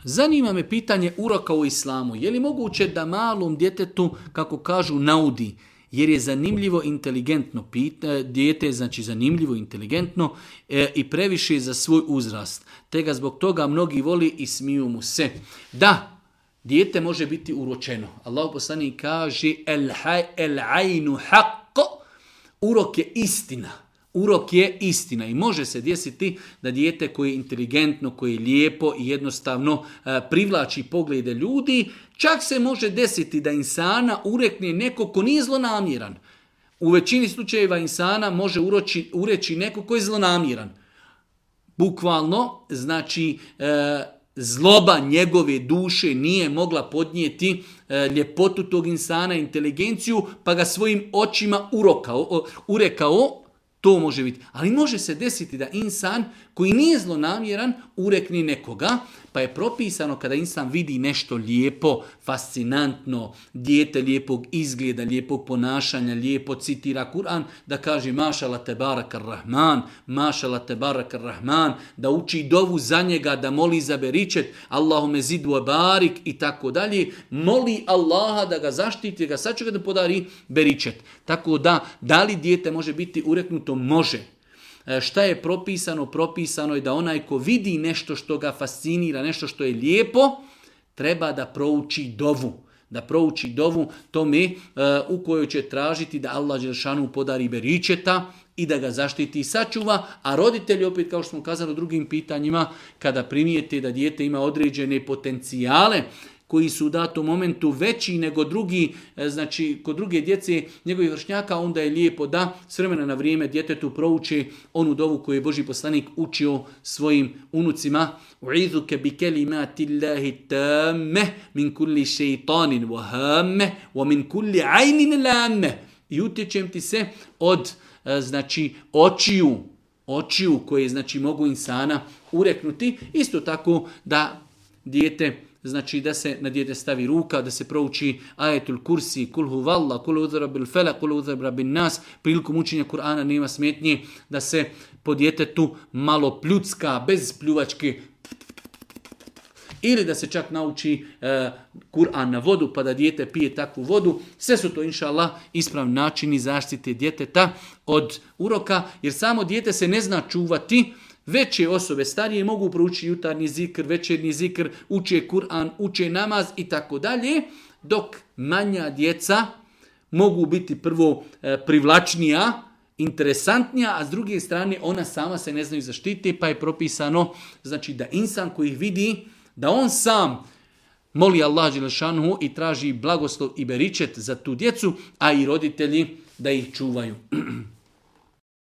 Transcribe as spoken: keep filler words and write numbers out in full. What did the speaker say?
zanima me pitanje uroka u islamu. Je li moguće da malom djetetu, kako kažu, naudi, jer je zanimljivo, inteligentno pita, dijete je znači zanimljivo, inteligentno e, i previše za svoj uzrast. Te ga zbog toga mnogi voli i smiju mu se. Da, dijete može biti uročeno. Allah poslanik kaže el, el ajnu haqq, urok je istina. Urok je istina i može se desiti da dijete koje je inteligentno, koje je lijepo i jednostavno e, privlači poglede ljudi, čak se može desiti da insana urekne neko ko nije zlonamjeran. U većini slučajeva insana može uroči, ureći neko ko je zlonamjeran. Bukvalno, znači, e, zloba njegove duše nije mogla podnijeti e, ljepotu tog insana, inteligenciju, pa ga svojim očima urokao, urekao. To može biti. Ali može se desiti da insan koji nije zlonamjeran urekne nekoga, pa je propisano kada insan vidi nešto lijepo, fascinantno, dijete lijepog izgleda, lijepog ponašanja, lijepo citira Kur'an, da kaže mašala te barakar rahman, mašala te barakar rahman, da uči dovu za njega, da moli za beričet, Allahume zidu barik i tako dalje, moli Allaha da ga zaštiti, da ga sačuva, da podari beričet. Tako da, da li dijete može biti ureknuto? Može. Šta je propisano? Propisano je da onaj ko vidi nešto što ga fascinira, nešto što je lijepo, treba da prouči dovu. Da prouči dovu tome uh, u kojoj će tražiti da Allah dželešanu podari beričeta i da ga zaštiti i sačuva, a roditelji, opet kao što smo kazali u drugim pitanjima, kada primijete da dijete ima određene potencijale koji su u datom momentu veći nego drugi, znači kod druge djece njegovih vršnjaka, onda je lijepo da s vremena na vrijeme djetetu prouči onu dovu koju je Božji poslanik učio svojim unucima. U'izuke bi kelimati Allahi tamme min kulli šeitanin wahamme wa min kulli ajnin lamme. I utječem ti se od znači očiju, očiju koje znači mogu insana ureknuti. Isto tako da dijete, znači da se na dijete stavi ruka, da se prouči ajetul kursi, kul huvalla, kul udhra bil felak, kul udhra bin nas. Prilikom učenja Kur'ana nema smetnje da se po djetetu malo pljucka, bez pljuvačke, ili da se čak nauči e, Kur'an na vodu pa da dijete pije takvu vodu. Sve su to, inša Allah, ispravni načini zaštite djeteta od uroka, jer samo dijete se ne zna čuvati. Veće osobe, starije, mogu proučiti jutarnji zikr, večernji zikr, uče Kur'an, uče namaz i tako dalje, dok manja djeca mogu biti prvo e, privlačnija, interesantnija, a s druge strane ona sama se ne znaju zaštiti, pa je propisano znači da insan koji ih vidi, da on sam moli Allah dželešanu i traži blagoslov i beričet za tu djecu, a i roditelji da ih čuvaju.